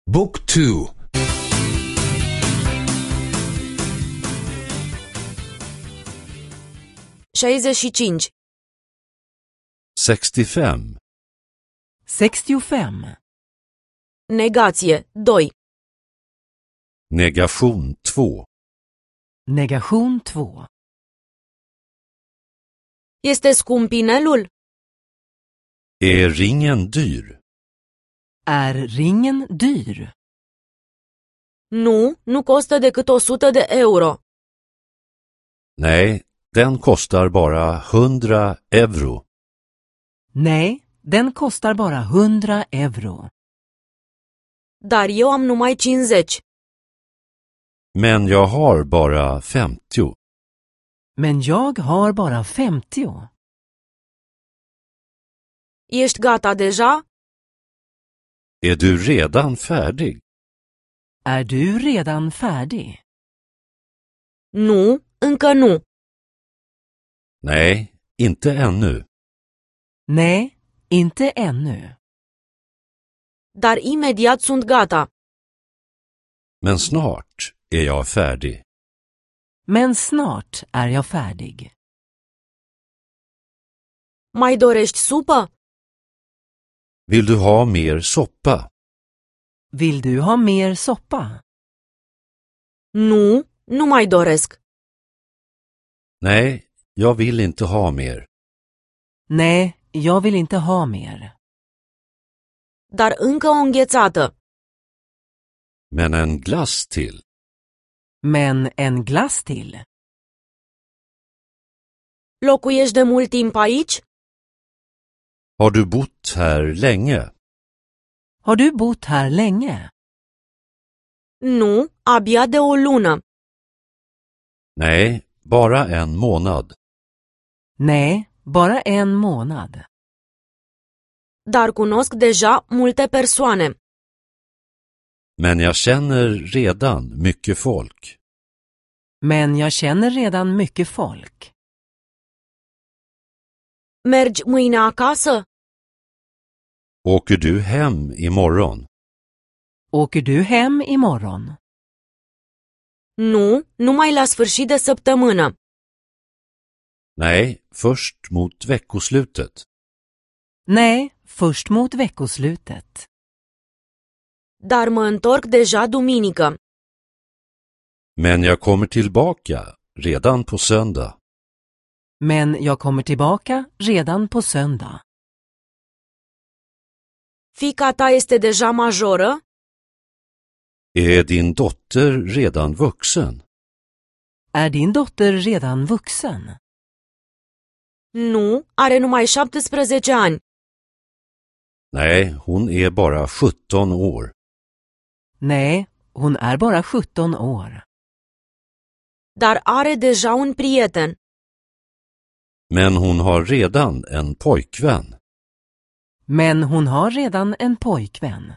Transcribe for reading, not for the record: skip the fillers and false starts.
Book 2. 65. 65. 65. Negație 2. Negation 2. Negation 2. Este scump inelul? Är ringen dyr? Är ringen dyr? Nu costă decât 100 de euro. Nej, den kostar bara 100 euro. Nej, den kostar bara 100 euro. Dar eu am numai 50. Men jag har bara 50. Men jag har bara 50. Ești gata deja? Är du redan färdig? Är du redan färdig? Nu, încă nu. Nej, inte ännu. Nej, inte ännu. Dar imediat sunt gata. Men snart är jag färdig. Men snart är jag färdig. Mai dorești supă? Vill du ha mer soppa? Vill du ha mer soppa? Nu mai doresc. Nej, jag vill inte ha mer. Nej, jag vill inte ha mer. Dar încă o înghețată. Men en glass till. Men en glass till. Locuiești de mult timp aici? Har du bott här länge? Har du bott här länge? Nu, abia de o lună. Nej, bara en månad. Nej, bara en månad. Dar cunosc deja multe persoane. Men jag känner redan mycket folk. Men jag känner redan mycket folk. Mergi mâine acasă? Åker du hem imorgon? Åker du hem imorgon? Nu, numai la sfârșit de săptămână. Nej, först mot veckoslutet. Nej, först mot veckoslutet. Dar mă întorc deja duminică. Men jag kommer tillbaka redan på söndag. Men jag kommer tillbaka redan på söndag. Fiica ta este deja majoră? Är din dotter redan vuxen? Är din dotter redan vuxen? Nu, are numai 17 ani. Nej, hon är bara 17 år. Nej, hon är bara 17 år. Dar are deja un prieten. Men hon har redan en pojkvän. Men hon har redan en pojkvän.